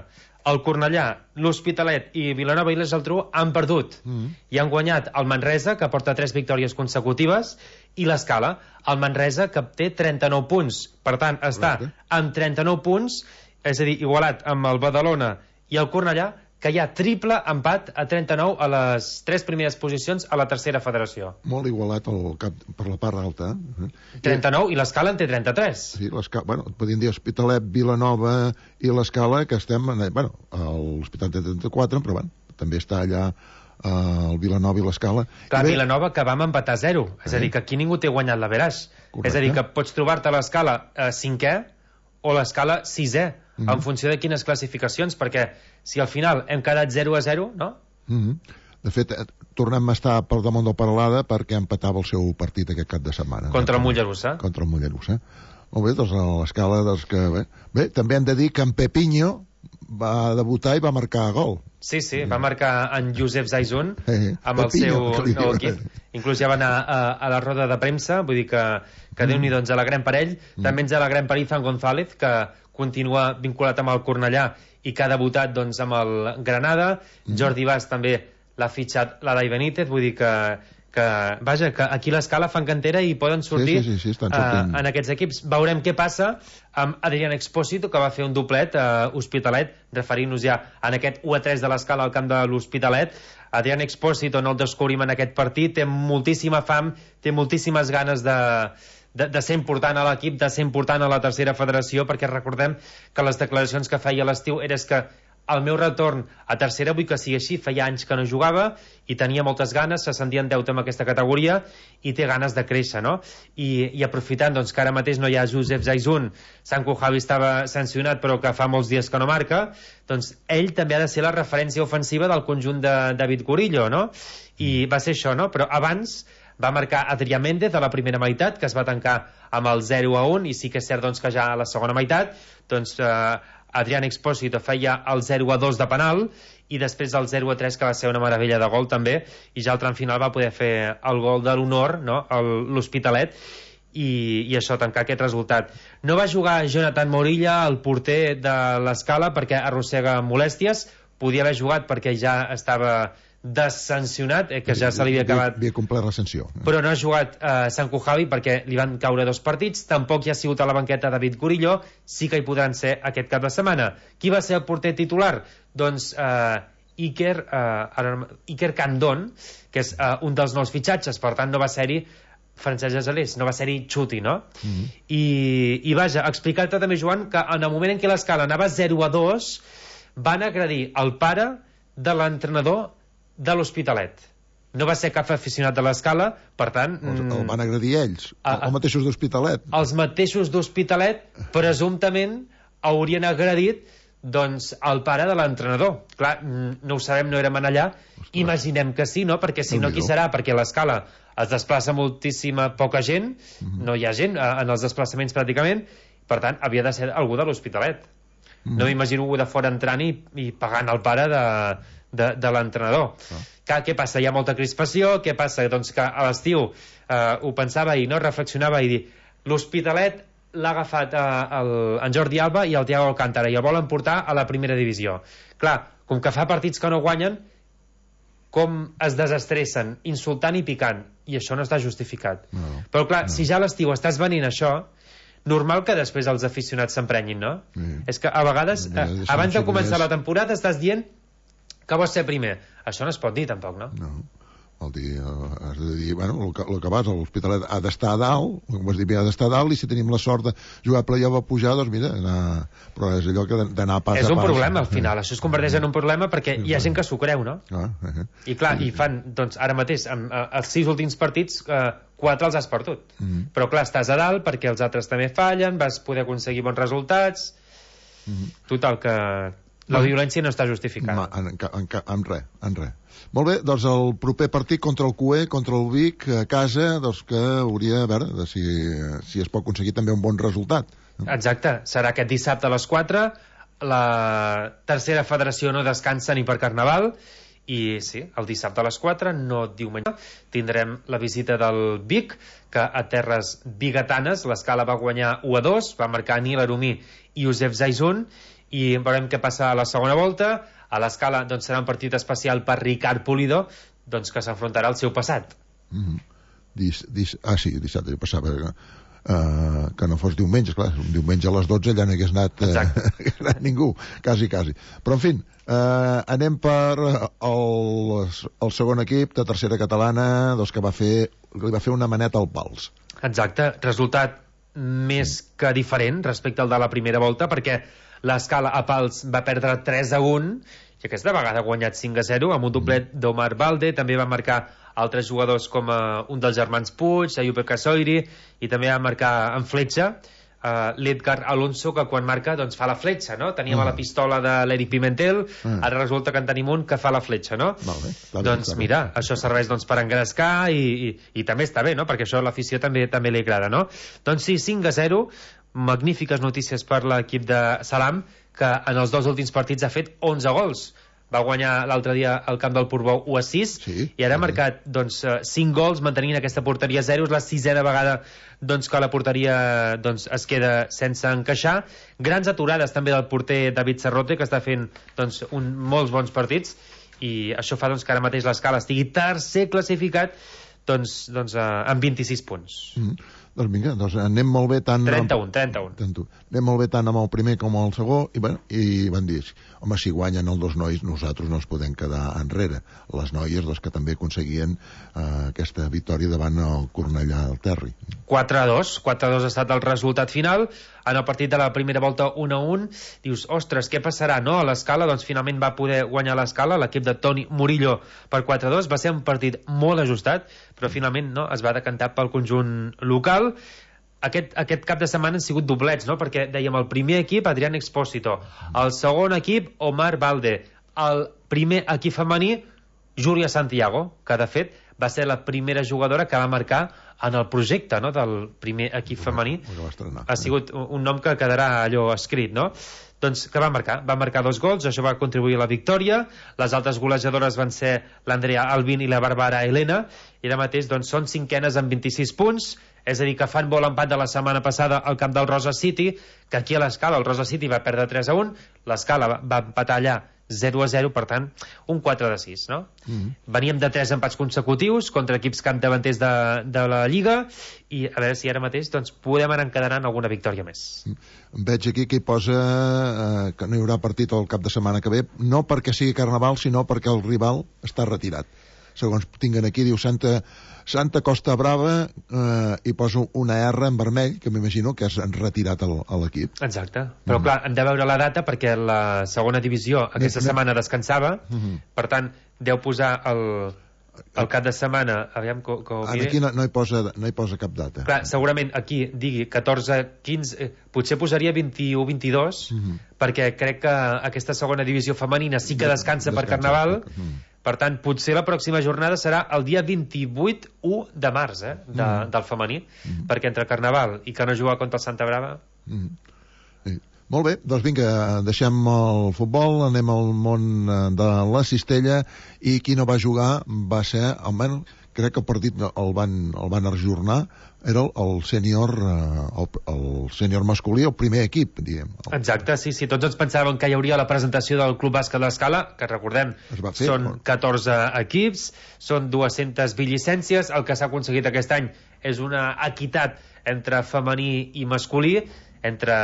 el Cornellà, l'Hospitalet i Vilanova i la Geltrú han perdut i han guanyat el Manresa, que porta 3 victòries consecutives, i l'Escala, el Manresa, que té 39 punts. Per tant, està amb 39 punts, és a dir, igualat amb el Badalona i el Cornellà, que hi ha triple empat a 39 a les 3 primeres posicions a la tercera federació. Molt igualat per la part alta. 39 i l'Escala en té 33. Sí, bueno, podríem dir Hospitalet, Vilanova i l'Escala, que estem... Bueno, l'Hospitalet té 34, però bueno, també està allà el Vilanova i l'Escala. Clar, Vilanova que vam empatar 0. És a dir, que aquí ningú té guanyat l'Averaix. És a dir, que pots trobar-te l'Escala 5è o l'Escala 6è, en funció de quines classificacions, perquè si al final hem quedat 0-0, no? De fet, tornem a estar per damunt del Peralada perquè empatava el seu partit aquest cap de setmana. Contra el Mollerussa. Contra el Mollerussa. Molt bé, doncs a l'Escala, doncs que... Bé, també hem de dir que en Pepinho va debutar i va marcar gol. Sí, va marcar en Josep Zaizun amb el seu nou equip. Inclús ja va anar a la roda de premsa, vull dir que Déu-n'hi doncs alegrem per ell. També ens alegrem per Izan González, que continua vinculat amb el Cornellà i que ha debutat doncs, amb el Granada. Jordi Bas també l'ha fitxat l'Adai Benítez, vull dir que vaja, que aquí l'Escala fan cantera i poden sortir en aquests equips. Veurem què passa amb Adrián Expósito, que va fer un doblet a Hospitalet, referint-nos ja en aquest 1-3 de l'Escala al camp de l'Hospitalet. Adrián Expósito no el descobrim en aquest partit, té moltíssima fam, té moltíssimes ganes de ser important a l'equip, de ser important a la tercera federació, perquè recordem que les declaracions que feia a l'estiu era que el meu retorn a tercera vull que sigui així, feia anys que no jugava i tenia moltes ganes, se sentia en deute amb aquesta categoria i té ganes de créixer, no? I aprofitant doncs, que ara mateix no hi ha Josep Zaizun, Sanko Javi estava sancionat però que fa molts dies que no marca, doncs ell també ha de ser la referència ofensiva del conjunt de David Gurillo, no? I va ser això, no? Però abans va marcar Adrià Méndez a la primera meitat, que es va tancar amb el 0-1, i sí que és cert doncs, que ja a la segona meitat doncs, Adrián Expósito feia el 0-2 de penal i després el 0-3, que va ser una meravella de gol també, i ja al tram final va poder fer el gol de l'honor, no? l'Hospitalet, i això, tancar aquest resultat. No va jugar Jonathan Morilla, el porter de l'Escala, perquè arrossega molèsties, podia haver jugat perquè ja estava desancionat, que ja se li havia acabat, havia complert la sanció, però no ha jugat Sanko Javi perquè li van caure 2 partits, tampoc hi ha sigut a la banqueta David Gurillo, sí que hi podran ser aquest cap de setmana. Qui va ser el porter titular? Doncs Iker Candón, que és un dels nous fitxatges, per tant no va ser-hi Francesc Gesalés, no va ser-hi Xuti, no? I vaja, explicar-te també, Joan, que en el moment en què l'Escala anava 0-2 van agredir el pare de l'entrenador de l'Hospitalet. No va ser cap aficionat de l'Escala, per tant... El van agredir ells, els mateixos d'Hospitalet. Els mateixos d'Hospitalet, presumptament, haurien agredit doncs, el pare de l'entrenador. Clar, no ho sabem, no érem allà. Imaginem que sí, no? Perquè si no, qui serà? Perquè l'Escala es desplaça moltíssima poca gent, no hi ha gent en els desplaçaments pràcticament, per tant, havia de ser algú de l'Hospitalet. No m'imagino algú de fora entrant i pagant el pare de l'entrenador. Què passa? Hi ha molta crispació. Què passa? Doncs que a l'estiu ho pensava i no reflexionava i dir, l'Hospitalet l'ha agafat en Jordi Alba i el Thiago Alcántara i el volen portar a la primera divisió. Clar, com que fa partits que no guanyen, com es desestressen, insultant i picant, i això no està justificat. Però clar, si ja a l'estiu estàs venint això, normal que després els aficionats s'emprenyin, no? És que a vegades, abans de començar la temporada, estàs dient que vols ser primer. Això no es pot dir, tampoc, no? No. Vol dir, has de dir, bueno, el que vas a l'Hospitalet ha d'estar a dalt, com has dit, ha d'estar a dalt, i si tenim la sort de jugar a playoff a pujar, doncs mira, però és allò que d'anar pas a pas. És un problema, al final. Això es converteix en un problema perquè hi ha gent que s'ho creu, no? I clar, i fan, doncs, ara mateix, els 6 últims partits, 4 els has perdut. Però clar, estàs a dalt perquè els altres també fallen, vas poder aconseguir bons resultats. Total, que la violència no està justificada. En res. Molt bé, doncs el proper partit contra el CUE, contra el Vic, a casa, doncs que hauria de veure si es pot aconseguir també un bon resultat. Exacte, serà aquest dissabte a les 4. La tercera federació no descansa ni per Carnaval, i sí, el dissabte a les 4, no diumenge, tindrem la visita del Vic, que a terres biguetanes l'Escala va guanyar 1-2, va marcar Nil Arumí i Josep Zaizun, i veurem què passa a la segona volta. A l'Escala doncs, serà un partit especial per Ricard Pulido, doncs, que s'enfrontarà al seu passat. Sí, dissabte, jo passava que no fos diumenge, clar, un diumenge a les 12 ja no hagués anat ningú, quasi. Però en fi, anem per el segon equip de tercera catalana, doncs, que li va fer una maneta al Pals. Exacte, resultat més que diferent respecte al de la primera volta, perquè l'Escala a Pals va perdre 3-1 i aquesta vegada ha guanyat 5-0 amb un doblet d'Omar Balde. També va marcar altres jugadors com un dels germans Puig, Ayupe Casoiri, i també va marcar en fletxa l'Edgar Alonso, que quan marca doncs fa la fletxa, no? Teníem a la pistola de l'Eric Pimentel, ara resulta que en tenim un que fa la fletxa, no? Doncs mira, això serveix doncs, per engrescar i també està bé, no? Perquè això a l'afició també li agrada, no? Doncs sí, 5-0, magnífiques notícies per l'equip de Salam, que en els 2 últims partits ha fet 11 gols. Va guanyar l'altre dia al camp del Portbou 1-6, i ara ha marcat doncs, 5 gols mantenint aquesta porteria 0. És la 6a vegada doncs, que la porteria doncs, es queda sense encaixar. Grans aturades també del porter David Serrote, que està fent doncs, molts bons partits, i això fa doncs, que ara mateix l'Escala estigui tercer classificat doncs, amb 26 punts. Doncs vinga, anem molt bé tant... 31. Anem molt bé tant amb el primer com el segon, i van dir, home, si guanyen els 2 nois, nosaltres no ens podem quedar enrere. Les noies, les que també aconseguien aquesta victòria davant el Cornellà del Terri. 4-2 ha estat el resultat final. en el partit de la primera volta 1-1. Dius, ostres, què passarà, no? A l'Escala, doncs finalment va poder guanyar l'Escala, l'equip de Toni Murillo per 4-2. Va ser un partit molt ajustat, però finalment no, es va decantar pel conjunt local. Aquest cap de setmana han sigut doblets, no? Perquè dèiem el primer equip, Adrián Expósito, el segon equip, Omar Valde, el primer equip femení, Júlia Santiago, que de fet va ser la primera jugadora que va marcar en el projecte, no?, del primer equip femení. Ha sigut un nom que quedarà allò escrit, no? Doncs que va marcar 2 gols, això va contribuir a la victòria. Les altres golejadores van ser l'Andrea Albin i la Bàrbara Helena, i ara mateix doncs, són cinquenes amb 26 punts, és a dir, que fan vol empat de la setmana passada al camp del Rosa City, que aquí a l'Escala el Rosa City va perdre 3-1, l'Escala va empatar allà 0-0, per tant, un 4-6, no? Veníem de 3 empats consecutius contra equips capdavanters de la Lliga, i a veure si ara mateix doncs, podem anar encadenant alguna victòria més. Veig aquí que hi posa que no hi haurà partit el cap de setmana que ve, no perquè sigui Carnaval, sinó perquè el rival està retirat. Segons tinguen aquí, diu Santa Costa Brava, i poso una R en vermell, que m'imagino que és retirat a l'equip. Exacte, però clar, hem de veure la data perquè la segona divisió aquesta setmana descansava, per tant, deu posar el cap de setmana, aviam que aquí no hi posa cap data. Clar, segurament aquí digui 14-15, potser posaria 21-22, perquè crec que aquesta segona divisió femenina sí que descansa per Carnaval. Per tant, potser la pròxima jornada serà el dia 28 de març, del femení, perquè entre Carnaval i que no juga contra el Santa Brava... Molt bé, doncs vinga, deixem el futbol, anem al món de la cistella, i qui no va jugar va ser, almenys, crec que el partit el van ajornar, era el sènior masculí, el primer equip, diguem. Exacte, sí, tots ens pensàvem que hi hauria la presentació del Club Bàsquet l'Escala, que recordem, són 14 equips, són 220 llicències, el que s'ha aconseguit aquest any és una equitat entre femení i masculí, entre,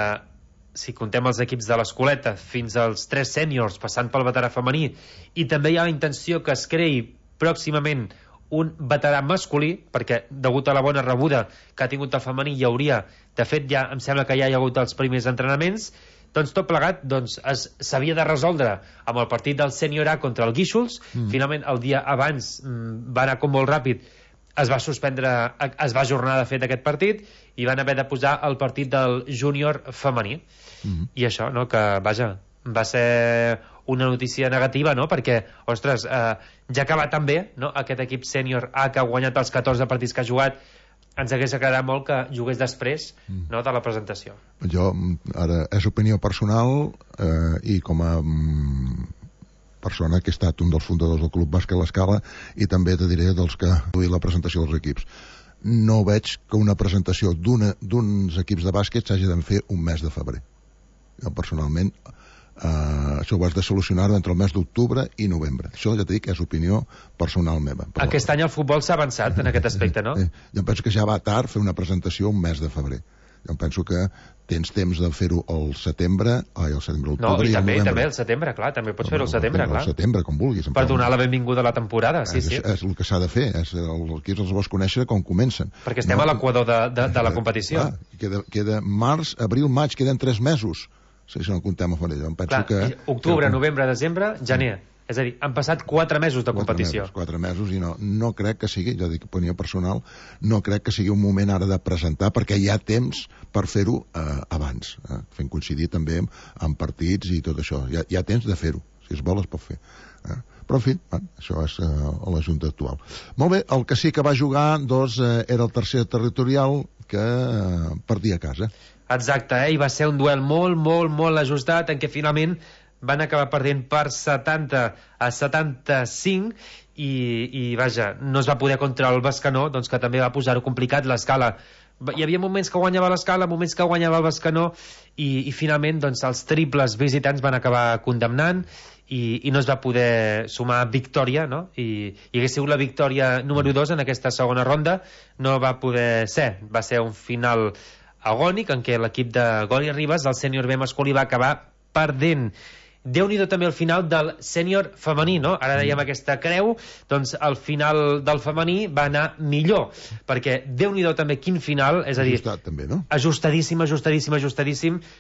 si contem els equips de l'Escoleta, fins als 3 sèniors, passant pel veterà femení, i també hi ha la intenció que es creï pròximament un veterà masculí, perquè degut a la bona rebuda que ha tingut el femení hi hauria, de fet ja em sembla que ja hi ha hagut els primers entrenaments, doncs tot plegat s'havia de resoldre amb el partit del sènior A contra el Guíxols. Finalment el dia abans va anar com molt ràpid, es va ajornar de fet aquest partit i van haver de posar el partit del júnior femení. I això, no?, que vaja, va ser una notícia negativa, no?, perquè, ostres, ja que va tan bé, no?, aquest equip sènior A que ha guanyat els 14 partits que ha jugat, ens hagués agradat molt que jugués després, no?, de la presentació. Jo, ara, és opinió personal, i com a persona que he estat un dels fundadors del Club Bàsquet l'Escala, i també te diré dels que han duit la presentació dels equips. No veig que una presentació d'uns equips de bàsquet s'hagi de fer un mes de febrer. Jo, personalment, això ho has de solucionar entre el mes d'octubre i novembre. Això ja t'he dit que és opinió personal meva. Però aquest any el futbol s'ha avançat en aquest aspecte, no? Jo penso que ja va tard fer una presentació un mes de febrer. Jo penso que tens temps de fer-ho al setembre, l'octubre i també al setembre, clar, també pots fer-ho al setembre, clar. Al setembre, com vulguis. Per donar la benvinguda a la temporada, sí. És el que s'ha de fer, els equips els vols conèixer com comencen. Perquè estem a l'equador de la competició. Queda març, abril, maig, queden 3 mesos. Si no comptem a febrer. Octubre, novembre, desembre, gener. És a dir, han passat 4 mesos de competició. 4 mesos, i no crec que sigui, ja dic, opinió personal, no crec que sigui un moment ara de presentar, perquè hi ha temps per fer-ho abans, fent coincidir també amb partits i tot això. Hi ha temps de fer-ho, si es vol es pot fer. Però, en fi, això és la Junta actual. Molt bé, el que sí que va jugar, era el tercer territorial, que perdia a casa. Exacte, i va ser un duel molt ajustat, en què finalment van acabar perdent per 70-75, i vaja, no es va poder contra el Bescanó, doncs que també va posar-ho complicat. l'Escala, hi havia moments que guanyava l'Escala, moments que guanyava el Bescanó, i finalment doncs els triples visitants van acabar condemnant, i no es va poder sumar victòria, no? I hagués sigut la victòria número 2 en aquesta segona ronda, no va poder ser. Va ser un final agònic en què l'equip de Goli Ribas, del sènior B masculí, va acabar perdent. Déu-n'hi-do també el final del sènior femení, no? Ara dèiem aquesta creu, doncs el final del femení va anar millor, perquè Déu-n'hi-do també quin final, és a dir... Ajustat també, no? Ajustadíssim.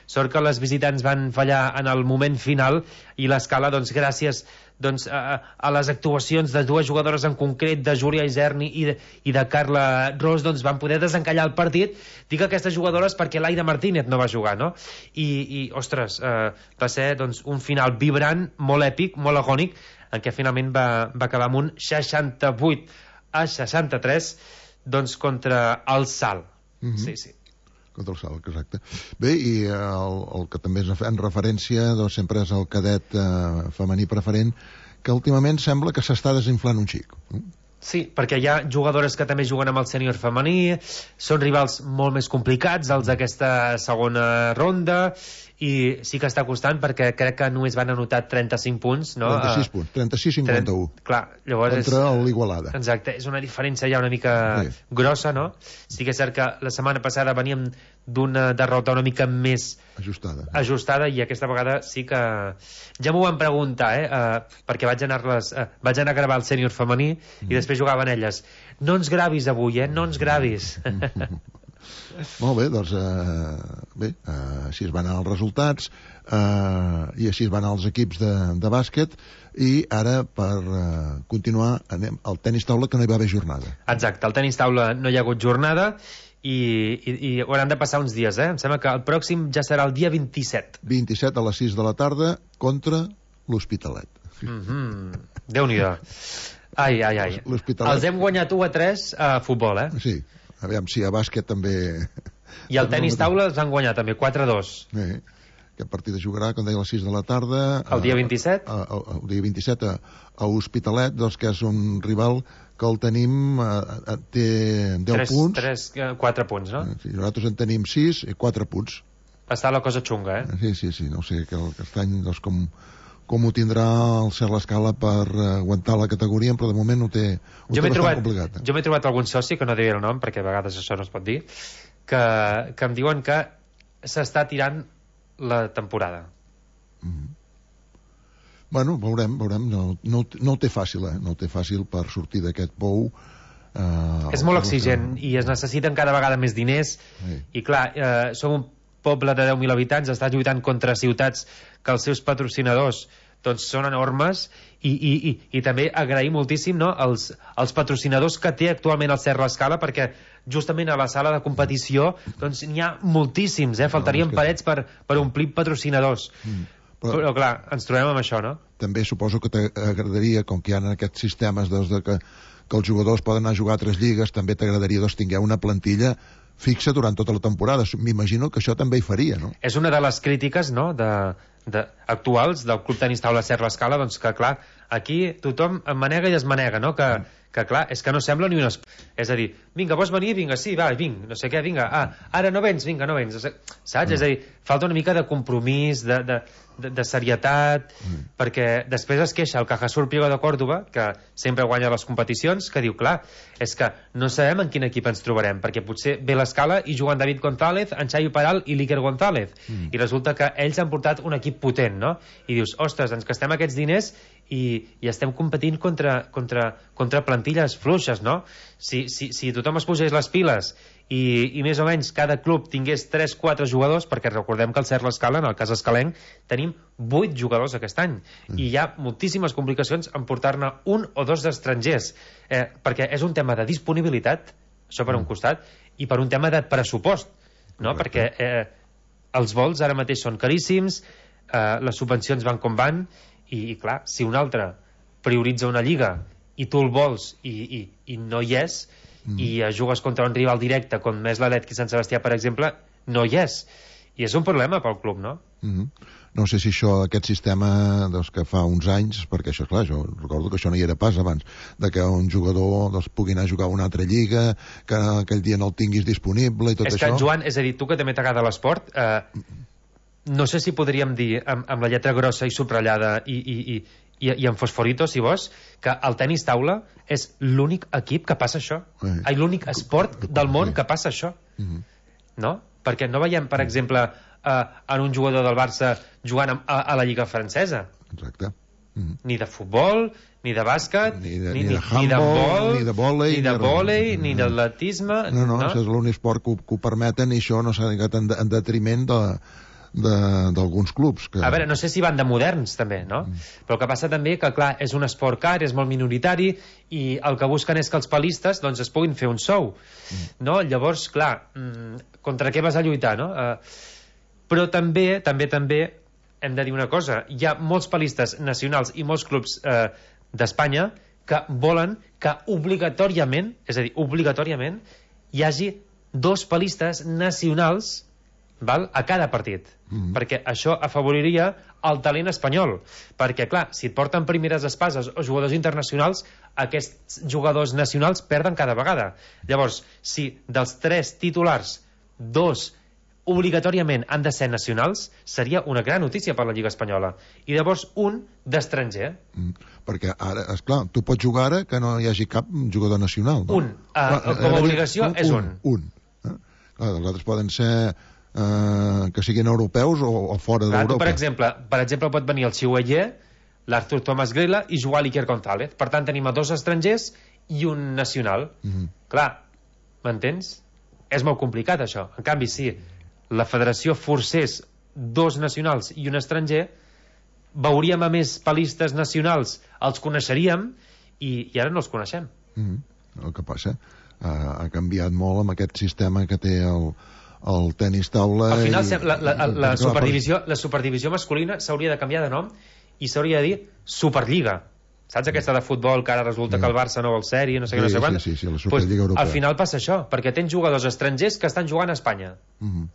Sort que les visitants van fallar en el moment final i l'Escala, doncs gràcies a les actuacions de dues jugadores en concret, de Júlia Iserni i de Carla Ros, doncs van poder desencallar el partit. Dic aquestes jugadores perquè l'Aida Martínez no va jugar, no? I ostres, va ser doncs, un final vibrant, molt èpic, molt agònic, en què finalment va acabar amb un 68-63 doncs contra el Salt. Sí. Contra el Salt, exacte. Bé, i el que també en referència doncs, sempre és el cadet femení preferent, que últimament sembla que s'està desinflant un xic. Sí, perquè hi ha jugadores que també juguen amb el sènior femení, són rivals molt més complicats, els d'aquesta segona ronda, i sí que està costant perquè crec que només van anotar 35 punts, no? 36 punts, 36-51. Clar, llavors contra l'Igualada. Exacte, és una diferència ja una mica grossa, no? Sí que és cert que la setmana passada veníem d'una derrota una mica més ajustada, i aquesta vegada sí que ja m'ho van preguntar, perquè vaig anar a gravar el sènior femení i després jugaven elles. No ens gravis avui, no ens gravis. Molt bé, doncs així es van anar els resultats i així es van anar els equips de bàsquet, i ara per continuar anem al tenis taula, que no hi va haver jornada. Exacte, al tenis taula no hi ha hagut jornada i hauran de passar uns dies, em sembla que el pròxim ja serà el dia 27 a les 6 de la tarda contra l'Hospitalet. Déu-n'hi-do. Ai. Els hem guanyat 1-3 a futbol, Sí. Aviam si a bàsquet també... I el tenis taula els han guanyat també, 4-2. Aquest partit es jugarà, com deia, a les 6 de la tarda... El dia 27? El dia 27 a Hospitalet, doncs, que és un rival que el tenim... té 10 punts. 4 punts, no? Sí, nosaltres en tenim 6 i 4 punts. Està la cosa xunga, Sí, no sé, que aquest any, doncs, com ho tindrà el Cert l'Escala per aguantar la categoria, però de moment ho té bastant complicat. Jo m'he trobat algun soci, que no diré el nom perquè a vegades això no es pot dir, que em diuen que s'està tirant la temporada. Bueno, veurem. No ho té fàcil, no ho té fàcil per sortir d'aquest pou. És molt exigent i es necessiten cada vegada més diners i clar, som un poble de 10.000 habitants, està lluitant contra ciutats que els seus patrocinadors doncs són enormes, i també agrair moltíssim, no, els patrocinadors que té actualment el Cert l'Escala, perquè justament a la sala de competició doncs n'hi ha moltíssims, faltarien parets per omplir patrocinadors. Però clar, ens trobem amb això, no? També suposo que t'agradaria, com que hi ha aquests sistemes que els jugadors poden anar a jugar a 3 lligues, també t'agradaria tinguer una plantilla fixa durant tota la temporada. M'imagino que això també hi faria, no? És una de les crítiques, no?, actuals del Club Tenis Taula Cert l'Escala, doncs que clar, aquí tothom em manega i es manega, no? Que clar, és que no sembla ni un és a dir, vinga, vols venir? Vinga, sí, va, vinc, no sé què, vinga, ara no vens? Vinga, no vens, saps? És a dir, falta una mica de compromís, de serietat, perquè després es queixa el Cajasur Priego de Còrdova, que sempre guanya les competicions, que diu, clar, és que no sabem en quin equip ens trobarem, perquè potser ve l'Escala i juguen David González, en Xavi Peral i l'Iker González, i resulta que ells han portat un equip potent, no? I dius, ostres, ens gastem aquests diners i estem competint contra plantilles fluixes, no? Si tothom es posés les piles i més o menys cada club tingués 3-4 jugadors, perquè recordem que al Cert l'Escala, en el cas escalenc, tenim 8 jugadors aquest any, i hi ha moltíssimes complicacions en portar-ne 1 o 2 d'estrangers, perquè és un tema de disponibilitat, això per un costat, i per un tema de pressupost, no? Perquè els vols ara mateix són caríssims, les subvencions van com van, i clar, si un altre prioritza una lliga i tu el vols i no hi és, i jugues contra un rival directe com és l'Atlètic Sant Sebastià, per exemple, no hi és, i és un problema pel club, no? No sé si aquest sistema que fa uns anys, perquè això, clar, jo recordo que això no hi era pas abans, de que un jugador pugui anar a jugar a una altra lliga, que aquell dia no el tinguis disponible i tot això. És que, Joan, és a dir, tu que també t'agrada l'esport, no sé si podríem dir amb la lletra grossa i subratllada i amb fosforito, si vols, que el tenis taula és l'únic equip que passa això. L'únic esport del món que passa això. No? Perquè no veiem, per exemple, en un jugador del Barça jugant a la Lliga francesa. Exacte. Ni de futbol, ni de bàsquet, ni de handball, ni de vòlei, ni d'atletisme. No, això és l'únic esport que ho permeten, i això no s'ha dedicat en detriment d'alguns clubs. A veure, no sé si van de moderns també, no? Però el que passa també que, clar, és un esport car, és molt minoritari, i el que busquen és que els palistes doncs, es puguin fer un sou, no? Llavors, clar, contra què vas a lluitar, no? Però també hem de dir una cosa, hi ha molts palistes nacionals i molts clubs d'Espanya que volen que obligatòriament, és a dir, obligatòriament, hi hagi 2 palistes nacionals, val, a cada partit, perquè això afavoriria el talent espanyol, perquè clar, si et porten primeres espases o jugadors internacionals, aquests jugadors nacionals perden cada vegada. Llavors, si dels 3 titulars 2 obligatòriament han de ser nacionals, seria una gran notícia per la Lliga Espanyola, i llavors un d'estranger. Perquè ara, esclar, tu pots jugar ara que no hi hagi cap jugador nacional, no? Com a obligació és un. Els altres poden ser que siguin europeus o fora d'Europa. Per exemple, pot venir el Chihuahua, l'Artur Tomàs Grela i jugar l'Iker González. Per tant, tenim a 2 estrangers i un nacional. Clar, m'entens? És molt complicat, això. En canvi, si la federació forcés 2 nacionals i un estranger, veuríem a més palistes nacionals, els coneixeríem, i ara no els coneixem. El que passa, ha canviat molt amb aquest sistema que té el tenis taula. Al final, la superdivisió masculina s'hauria de canviar de nom i s'hauria de dir Superliga. Saps aquesta de futbol que ara resulta que el Barça no vol ser-hi, no sé què, no sé quant? Sí, la Superliga Europea. Al final passa això, perquè tens jugadors estrangers que estan jugant a Espanya.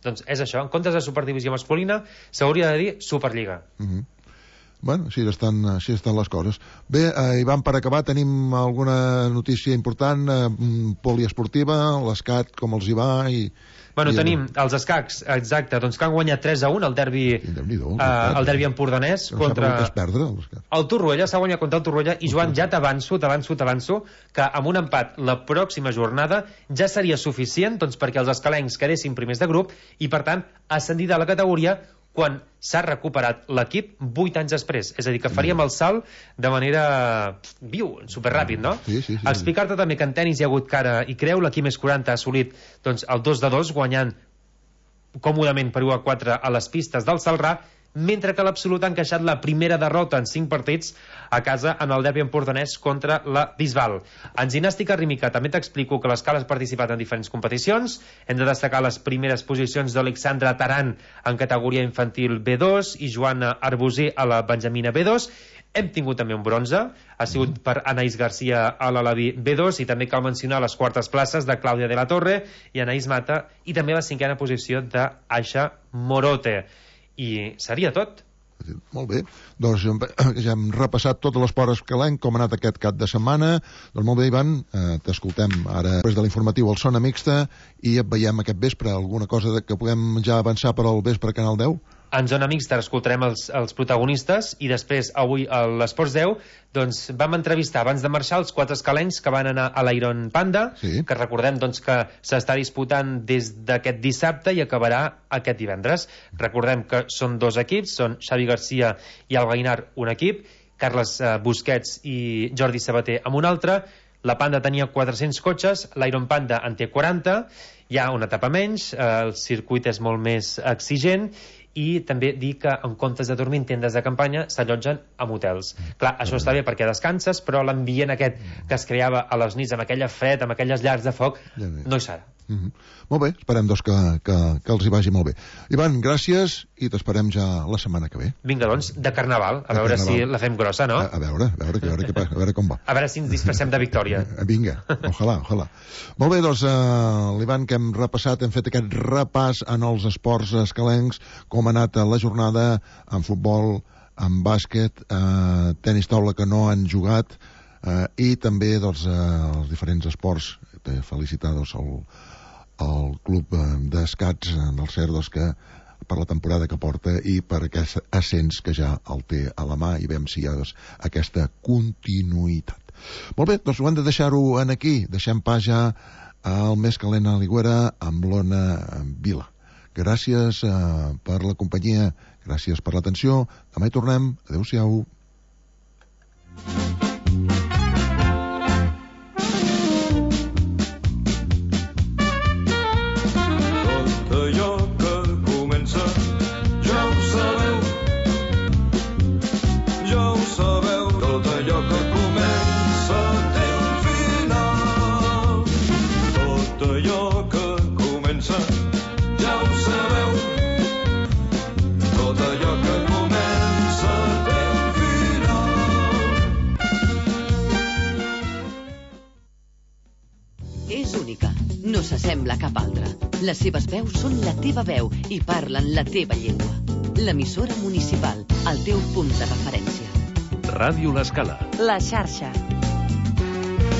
Doncs és això, en comptes de superdivisió masculina s'hauria de dir Superliga. Bueno, així estan les coses. Bé, Ivan, per acabar, tenim alguna notícia important poliesportiva, l'escat, com els hi va, i... Bueno, tenim els escacs, exacte, doncs que han guanyat 3-1 el derbi empordanès contra... El Torroella, s'ha guanyat contra el Torroella, i Joan, ja t'avanço que amb un empat la pròxima jornada ja seria suficient doncs, perquè els escalencs quedessin primers de grup i, per tant, ascendir de la categoria quan s'ha recuperat l'equip 8 anys després. És a dir, que faríem el salt de manera superràpid, no? Sí. Explicar-te també que en tenis hi ha hagut cara i creu. L'equip més 40 ha assolit doncs, el 2-2, guanyant còmodament per 1-4 a les pistes del Celrà, mentre que l'Absolut ha encaixat la primera derrota en 5 partits a casa en el derbi empordanès contra la Bisbal. En gimnàstica rítmica també t'explico que l'Escala ha participat en diferents competicions. Hem de destacar les primeres posicions d'Alexandra Taran en categoria infantil B2 i Joana Arbusí a la Benjamina B2. Hem tingut també un bronze, ha sigut per Anaïs Garcia a l'Alaví B2, i també cal mencionar les quartes places de Clàudia de la Torre i Anaïs Mata, i també la 5a posició d'Aixa Morote. I seria tot. Molt bé, doncs ja hem repassat tot l'esport escalenc, com ha anat aquest cap de setmana. Doncs molt bé, Ivan, t'escoltem ara després de l'informatiu al Zona Mixta i et veiem aquest vespre. Alguna cosa que puguem ja avançar per al vespre a Canal 10? En Zona Mixta escoltarem els protagonistes, i després avui a l'Esports 10 doncs vam entrevistar abans de marxar els 4 escalencs que van anar a l'Iron Panda, que recordem doncs, que s'està disputant des d'aquest dissabte i acabarà aquest divendres. Recordem que són 2 equips, són Xavi Garcia i el Gainar un equip, Carles Busquets i Jordi Sabater amb un altre. La Panda tenia 400 cotxes, l'Iron Panda en té 40, hi ha una etapa menys, el circuit és molt més exigent, i també dir que en comptes de dormir en tendes de campanya s'allotgen en hotels. Clar, això està bé perquè descanses, però l'ambient aquest que es creava a les nits amb aquella fred, amb aquelles llars de foc, no hi serà. Molt bé, esperem doncs que els hi vagi molt bé. Ivan, gràcies, i t'esperem ja la setmana que ve. Vinga, doncs, de Carnaval, a veure si la fem grossa, no? A veure com va. A veure si ens disfressem de victòria. Vinga, ojalà. Molt bé, doncs, l'Ivan, que hem repassat, hem fet aquest repàs en els esports escalencs, com ha anat la jornada en futbol, en bàsquet, tenis taula que no han jugat, i també doncs, els diferents esports. Felicitar doncs, el club d'escats del Cerdos, que per la temporada que porta i per aquest ascens que ja el té a la mà, i veiem si hi ha doncs, aquesta continuïtat. Molt bé, doncs ho hem de deixar-ho aquí. Deixem pas ja al més calent a l'Aigüera amb l'Ona Vila. Gràcies per la companyia, gràcies per l'atenció. Demà hi tornem. Adéu-siau. No s'assembla a cap altra. Les seves veus són la teva veu i parlen la teva llengua. L'emissora municipal, el teu punt de referència. Ràdio L'Escala. La xarxa.